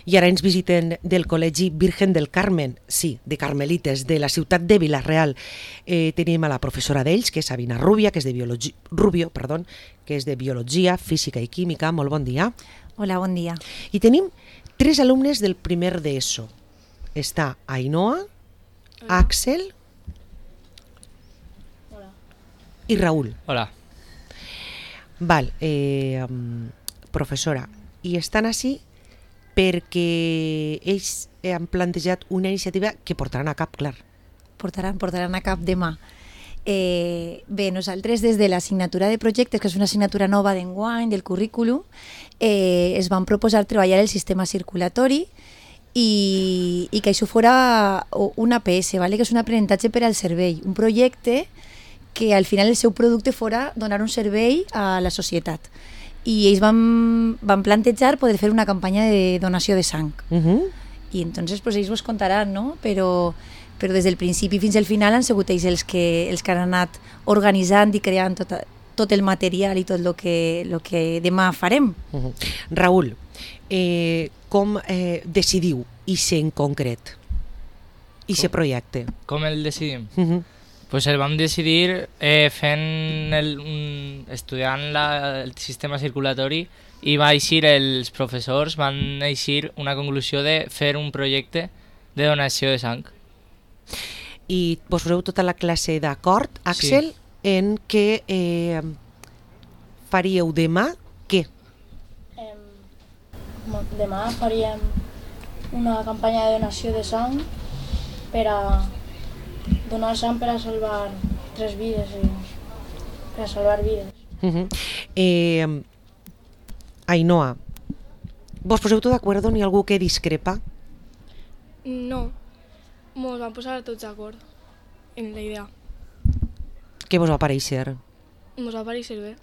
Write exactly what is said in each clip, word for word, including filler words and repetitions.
I ara ens visiten del Col·legi Virgen del Carmen, sí, de Carmelites, de la ciutat de Vila-real. Eh, tenim a la professora d'ells, que és Sabina Rubia, que és de biologia, Rubio, perdó, que és de Biologia, Física i Química. Molt bon dia. Hola, bon dia. I tenim tres alumnes del primer d'ESO. Està Ainhoa, Hola. Àxel Hola. I Raül. Hola. Val, eh, professora, i estan així perquè ells han plantejat una iniciativa que portaran a cap, clar. Portaran, portaran a cap demà. Eh, bé, nosaltres des de l'assignatura de projectes, que és una assignatura nova d'enguany, del currículum, eh, es van proposar treballar el sistema circulatori i, i que això fora un A P S, ¿vale? Que és un aprenentatge per al cervell, un projecte que al final el seu producte fora donar un servei a la societat. I ells van, van plantejar poder fer una campanya de donació de sang. Uh-huh. I entonces pues, ells vos contaran, no? Però, però des del principi fins al final han sigut ells els que, els que han anat organitzant i creant tot, tot el material i tot el que, lo que demà farem. Uh-huh. Raül, eh, com eh, decidiu ixe en concret? Ixe projecte? Com el decidim? Uh-huh. Pues el vam decidir eh, fent el, un, estudiant la, el sistema circulatori i va eixir, els professors van eixir una conclusió de fer un projecte de donació de sang. I vos poseu tota la classe d'acord, Àxel, sí. En què eh, faríeu demà què? Eh, demà faríem una campanya de donació de sang per a donar sang per a salvar tres vides, i per a salvar vides. Uh-huh. eh, Ainhoa, vos poseu tot d'acord? N'hi ha algú que discrepa? No, mos vam posar tots d'acord en la idea. Què vos va pareixer? Mos va pareixer bé.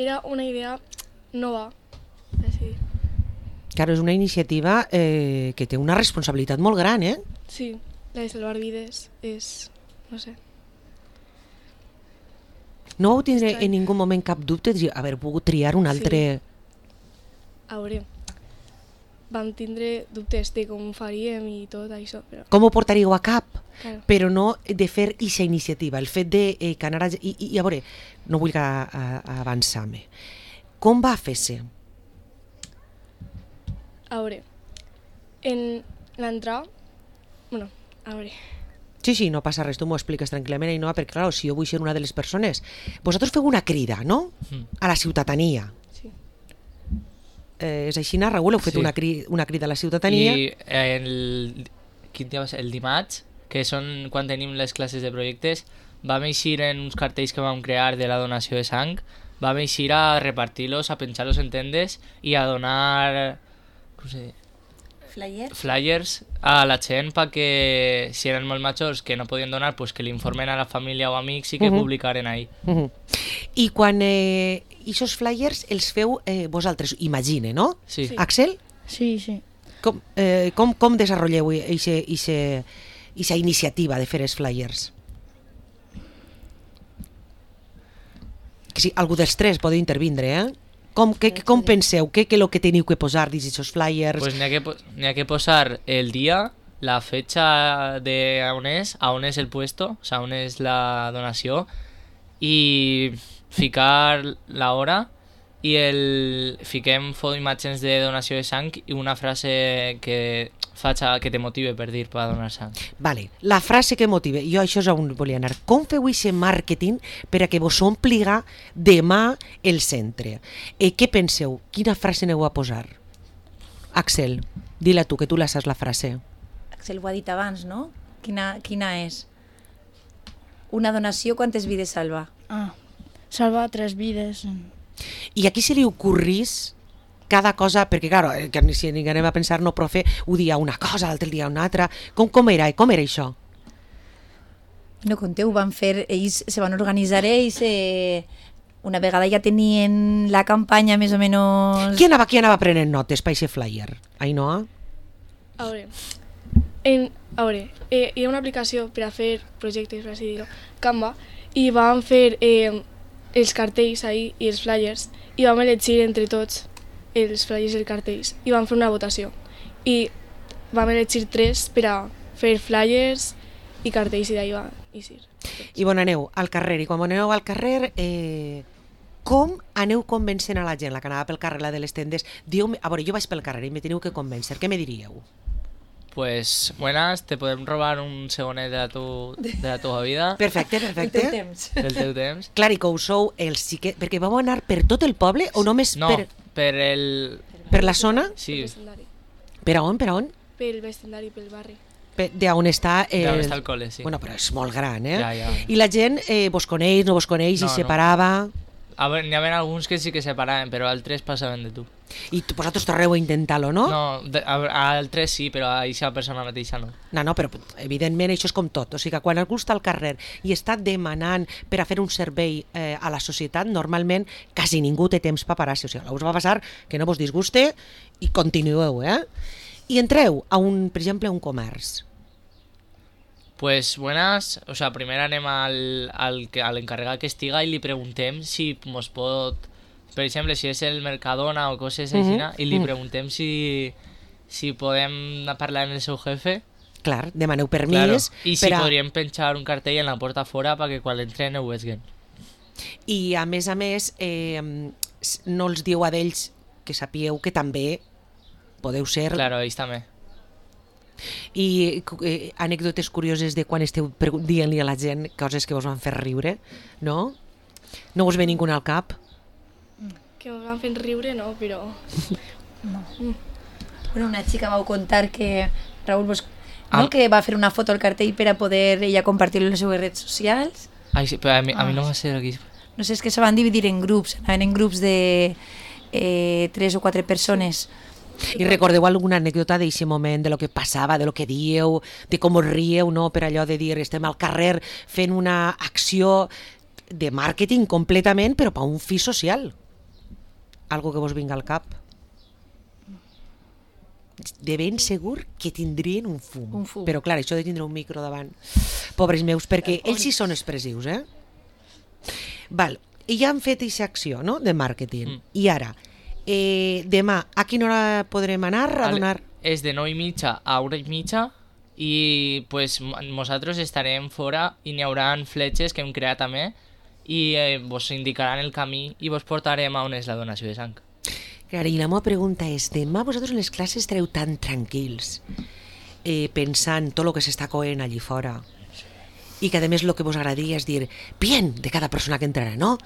Era una idea nova, així. Claro, és una iniciativa eh, que té una responsabilitat molt gran, eh? Sí. La de salvar vides és, no sé. No vau tindre en ningú moment cap dubte d'haver pogut triar un altre... Sí. A veure, vam tindre dubtes de com ho faríem i tot això. Però... Com ho portaríeu a cap? Claro. Però no de fer aquesta iniciativa, el fet de eh, que anara... I, i, a veure, no vull avançar-me. Com va fer-se? A veure, en l'entrada... Bueno, a veure... Sí, sí, no passa res, tu m'ho expliques tranquil·lament, i no, perquè clar, si jo vull ser una de les persones... Vosaltres feu una crida, no? Mm. A la ciutadania. Sí. Eh, és així, Raül? Heu fet sí. una, cri una crida a la ciutadania? I el, quin dia va ser? El dimarts, que són quan tenim les classes de projectes, vam eixir en uns cartells que vam crear de la donació de sang, vam eixir a repartir-los, a penjar-los en tendes i a donar... Com se diu? Flyers? Flyers a la gent perquè si eren molt majors que no podien donar, pues que l'informen a la família o amics i que uh-huh. publicaren ahí. Uh-huh. I quan eh, aquests flyers els feu eh, vosaltres, imagine, no? Sí. sí. Àxel? Sí, sí. Com, eh, com, com desenvolupeu aquesta iniciativa de fer els flyers? Que si algú dels tres podeu intervindre, eh? Com, que, com penseu? Què és el que teniu que posar dins aquests flyers? Pues n'hi ha, ha que posar el dia, la fecha de on és, a on és el puesto, o sea, on és la donació, i ficar l'hora, i el, fiquem imatges de donació de sang i una frase que faça que te motive per dir per donar sang. Vale, la frase que motive, jo això és on volia anar. Com feu aquest màrqueting per a que vos ompliga demà el centre? Eh, què penseu? Quina frase aneu a posar? Àxel, di-la tu, que tu la saps la frase. Àxel ho ha dit abans, no? Quina, quina és? Una donació, quantes vides salva? Ah, salva tres vides. I a qui se li ocorrís cada cosa, perquè clar, que si anem a pensar, no, profe, ho dia una cosa, l'altre dia una altra, com, com era com era això? No conteu, van fer, ells se van organitzar ells, eh, una vegada ja tenien la campanya més o menys... Qui anava, qui anava prenent notes per aquest flyer? Ainhoa? A veure, en, a veure eh, hi ha una aplicació per a fer projectes, per així dir-ho, Canva, i vam fer eh, els cartells ahí i els flyers, i vam elegir entre tots els flyers i els cartells i vam fer una votació. I vam elegir tres per a fer flyers i cartells i d'ahir va eixir. I bon aneu al carrer, i quan aneu al carrer, eh, com aneu convencent a la gent, la que anava pel carrer, la de les tendes? Diu, a veure, jo vaig pel carrer i me teniu que convèncer, què me diríeu? Pues buenas, te podem robar un segonet de la, tu, de la teva vida, Perfecte, perfecte. del teu temps. Clar, i que ho sou els xiquets, perquè vau anar per tot el poble o només No, per, per el... per la zona? Sí, Pel vestidari. Per a on, per a on? Pel vestidari, pel barri. Per, de on està... Eh, d'on està el col·le, sí. Bueno, però és molt gran, eh? Ja, ja. I la gent eh, vos coneix, no vos coneix, No, i no. separava... A veure, n'hi havia alguns que sí que separaven, però altres passaven de tu. I tu- vosaltres torneu a intentar-lo, no? No, de, a, a altres sí, però a aquesta persona mateixa no. No, no, però evidentment això és com tot. O sigui que quan algú està al carrer i està demanant per a fer un servei eh, a la societat, normalment quasi ningú té temps paparazzi. O sigui, us va passar que no vos disguste i continueu, eh? I entreu a un, per exemple, a un comerç. Pues buenas, o sea, primer anem al, al, que- a l'encarregat que estiga i li preguntem si mos pot, per exemple, si és el Mercadona o coses així, Mhm. i li Mhm. preguntem si, si podem parlar amb el seu jefe. Clar, demaneu Claro. permís. I si per a... podríem penjar un cartell en la porta fora perquè quan entren ho veguen. I a més a més, eh, s- no els diu a d'ells que sapieu que també podeu ser... Claro, ells també. I eh, anècdotes curioses de quan esteu pregu- dient-li a la gent coses que vos van fer riure, no? No us ve ningú al cap? Que em van fent riure, no, però... Bueno, una xica vau contar que Raúl vos... Ah. No, que va fer una foto al cartell per a poder ella compartir-lo en les seues redes socials. Ai, sí, però a mi, a mi Ah, no va ser aquí. No sé, és que se van dividir en grups, anaven en grups de eh, tres o quatre persones. I recordeu alguna anècdota d'aquest moment, de lo que passava, de lo que dieu, de com us rieu, no? Per allò de dir, estem al carrer fent una acció de màrqueting completament, però per un fi social. Algo que vos vinga al cap. De ben segur que tindrien un fum. Un fum. Però clar, això de tindre un micro davant, pobres meus, perquè ells sí són expressius, eh? Val, i ja han fet aquesta acció, no?, de màrqueting. Mm. I ara, eh, demà, a quina hora podrem anar a Ale- donar... És de nou i mitja a una i mitja i pues, mo- nosaltres estarem fora i n'hi haurà fletxes que hem creat també i eh, vos indicaran el camí i vos portarem a on és la donació de sang. Clar, i la meva pregunta és, demà vosaltres en les classes estareu tan tranquils, eh, pensant tot el que s'està coent allí fora, i que a més el que vos agradaria és dir bien de cada persona que entrarà, no?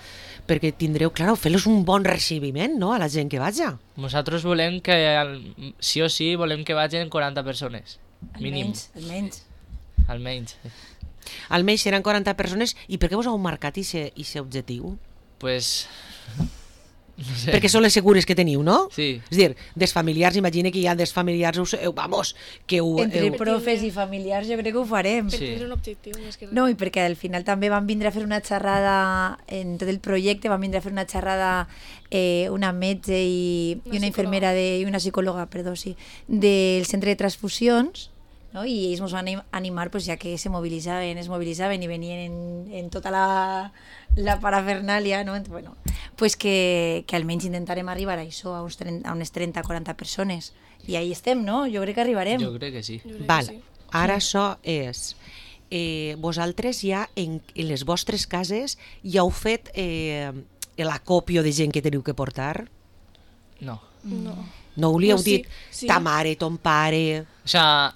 Perquè tindreu, clar, fer-los un bon recibiment, no?, a la gent que vaja. Nosaltres volem que, al- sí o sí, volem que vagin quaranta persones. Mínim, Almenys, almenys. almenys. Almenys seran quaranta persones, i per què vos heu marcat aquest objectiu? Pues... No sé. Perquè són les segures que teniu, no? Sí. És a dir, dels familiars, imagina que hi ha dels familiars, us, eh, vamos, que ho... Entre heu- profes i familiars jo crec que ho farem. Per Sí. tindre un objectiu més que res. No, i perquè al final també van vindre a fer una xerrada en tot el projecte, van vindre a fer una xerrada eh, una metge i, Una i una psicòloga. infermera de, i una psicòloga, perdó, sí, del centre de transfusions, no? I ells ens van anim- animar, pues, ja que se mobilitzaven, es mobilitzaven i venien en, en tota la, la parafernàlia, no? Entonces, bueno, pues que, que almenys intentarem arribar a això, a, uns trenta, a unes trenta o quaranta persones. I ahí estem, no? Jo crec que arribarem. Jo crec que sí. Jo crec que Val, sí. ara això és... Eh, vosaltres ja en, en les vostres cases ja heu fet eh, l'acòpio de gent que teniu que portar? No. No. No ho li heu No, sí, dit sí. ta mare, ton pare... O sea,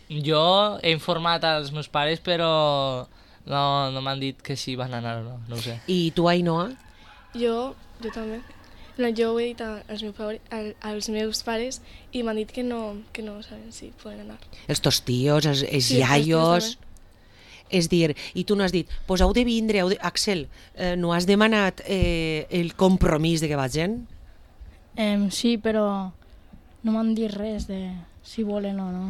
jo he informat als meus pares, però no, no m'han dit que si van anar o no, no ho sé. I tu, Ainhoa? Jo, jo també. No, jo ho he dit a- als meus, pare, al- als meus pares i m'han dit que no, que no saben si poden anar. Els tos tios, els, els Sí, els tios iaios... És dir, i tu no has dit, pues heu de vindre, heu de... Axel, eh, no has demanat eh, el compromís de que vagin? Em, sí, però no m'han dit res de si volen o no.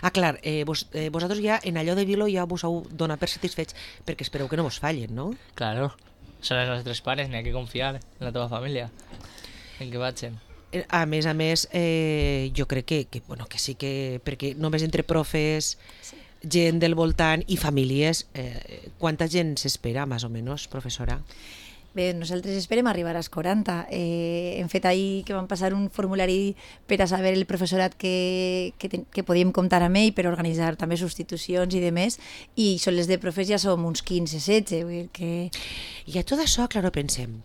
Ah, clar, eh, vos, eh, vosaltres ja en allò de Vilo ja vos heu donat per satisfets perquè espereu que no vos fallen, no? Claro. Són els nostres pares, n'hi ha que confiar en la teva família. En que vagin. Eh, A més a més, eh, jo crec que, que, bueno, que sí que... Perquè només entre profes, gent del voltant i famílies, eh, quanta gent s'espera, més o menys, professora? Bé, nosaltres esperem arribar als quaranta. Eh, hem fet ahir que vam passar un formulari per a saber el professorat que, que, ten, que podíem comptar amb ell per organitzar també substitucions i demés, i són les de profes ja som uns quinze setze, vull dir que... I a tot això, claro, pensem,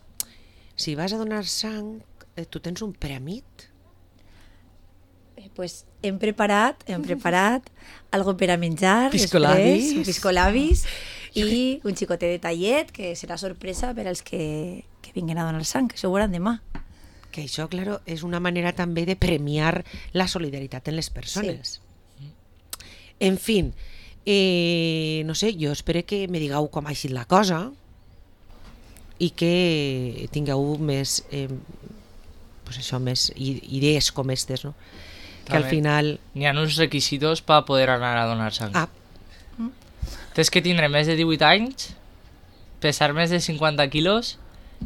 si vas a donar sang, eh, tu tens un preamit? Eh, pues hem preparat, hem preparat algo per a menjar, Piscolabis. després, piscolabis, i un xicotet de tallet, que serà sorpresa per als que, que vinguin a donar sang, que s'ho veuran demà. Que això, claro, és una manera també de premiar la solidaritat en les persones. Sí. En fin, eh, no sé, jo espero que me digueu com ha sigut la cosa i que tingueu més, eh, pues això, més idees com aquestes, no? Que al final... N'hi ha uns requisitos per poder anar a donar sang. Ah, Tens que tindre més de divuit anys, pesar més de cinquanta quilos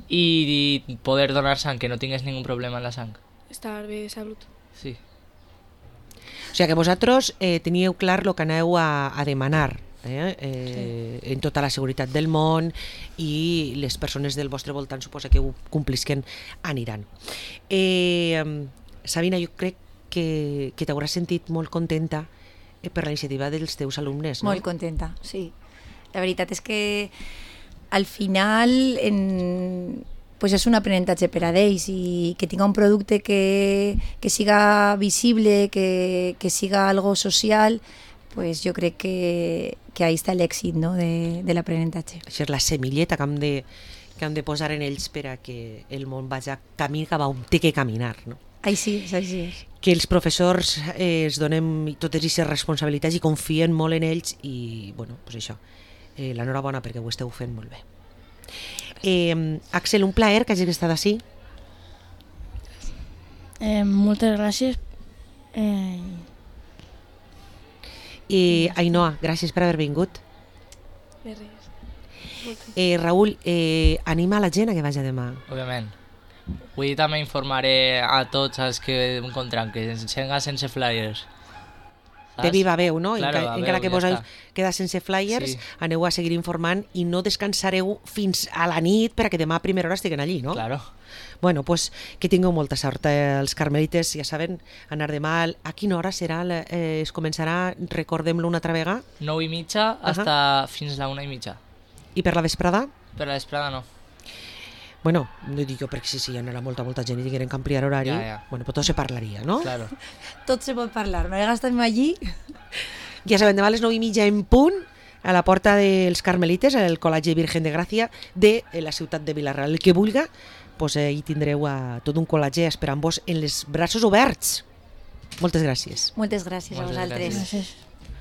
i poder donar sang, que no tingues ningú problema en la sang. Estar bé de salut. Sí. o sigui que vosaltres eh, teníeu clar el que aneu a, a demanar eh, eh, sí. en tota la seguretat del món, i les persones del vostre voltant suposa que ho complisquen aniran. Eh, Sabina, jo crec que, que t'hauràs sentit molt contenta per la iniciativa dels teus alumnes, no? Molt contenta, sí. La veritat és que al final en, pues és un aprenentatge per a ells, i que tinga un producte que, que siga visible, que, que siga algo social, pues jo crec que, que ahí està l'èxit, no? de, de l'aprenentatge. Això és la semilleta que hem de, que hem de posar en ells per a que el món vagi camí cap a on té que caminar, no? Així és, així és. Que els professors eh, es donem totes aquestes responsabilitats i confien molt en ells, i bueno, pues això, eh, l'enhorabona perquè ho esteu fent molt bé. Eh, Axel, un plaer que hagis estat així. Eh, moltes gràcies. Eh, I Ainhoa, gràcies per haver vingut. De res. Eh, Raül, eh, anima a la gent a que vagi demà. Òbviament. Avui també informaré a tots els que encontran que ensenga sense flyers. Saps? De viva veu, no? Claro, Enca, a encara veu, que ja vos heu està. quedat sense flyers, Sí. aneu a seguir informant i no descansareu fins a la nit perquè demà a primera hora estiguen allí, no? Claro. Bueno, pues que tingueu molta sort. Eh, els carmelites, ja saben, anar demà... A quina hora serà? Eh, es començarà, recordem-lo una altra vegada. nou i mitja hasta fins la una i mitja. I per la vesprada? Per la vesprada no. Bueno, no dic jo perquè si sí, hi anarà molta, molta gent i tingueren que ampliar horari. Ja, ja. Bueno, pues tot se parlaria, no? Claro. Tot se pot parlar. Nosaltres estem allí. Ja saben, demà a les nou i mitja en punt, a la porta dels Carmelites, al Col·legi Virgen de Gràcia de la ciutat de Vila-real. El que vulga, pues, eh, hi tindreu a tot un col·legi esperant-vos en els braços oberts. Moltes gràcies. Moltes gràcies a Moltes vosaltres. gràcies. gràcies.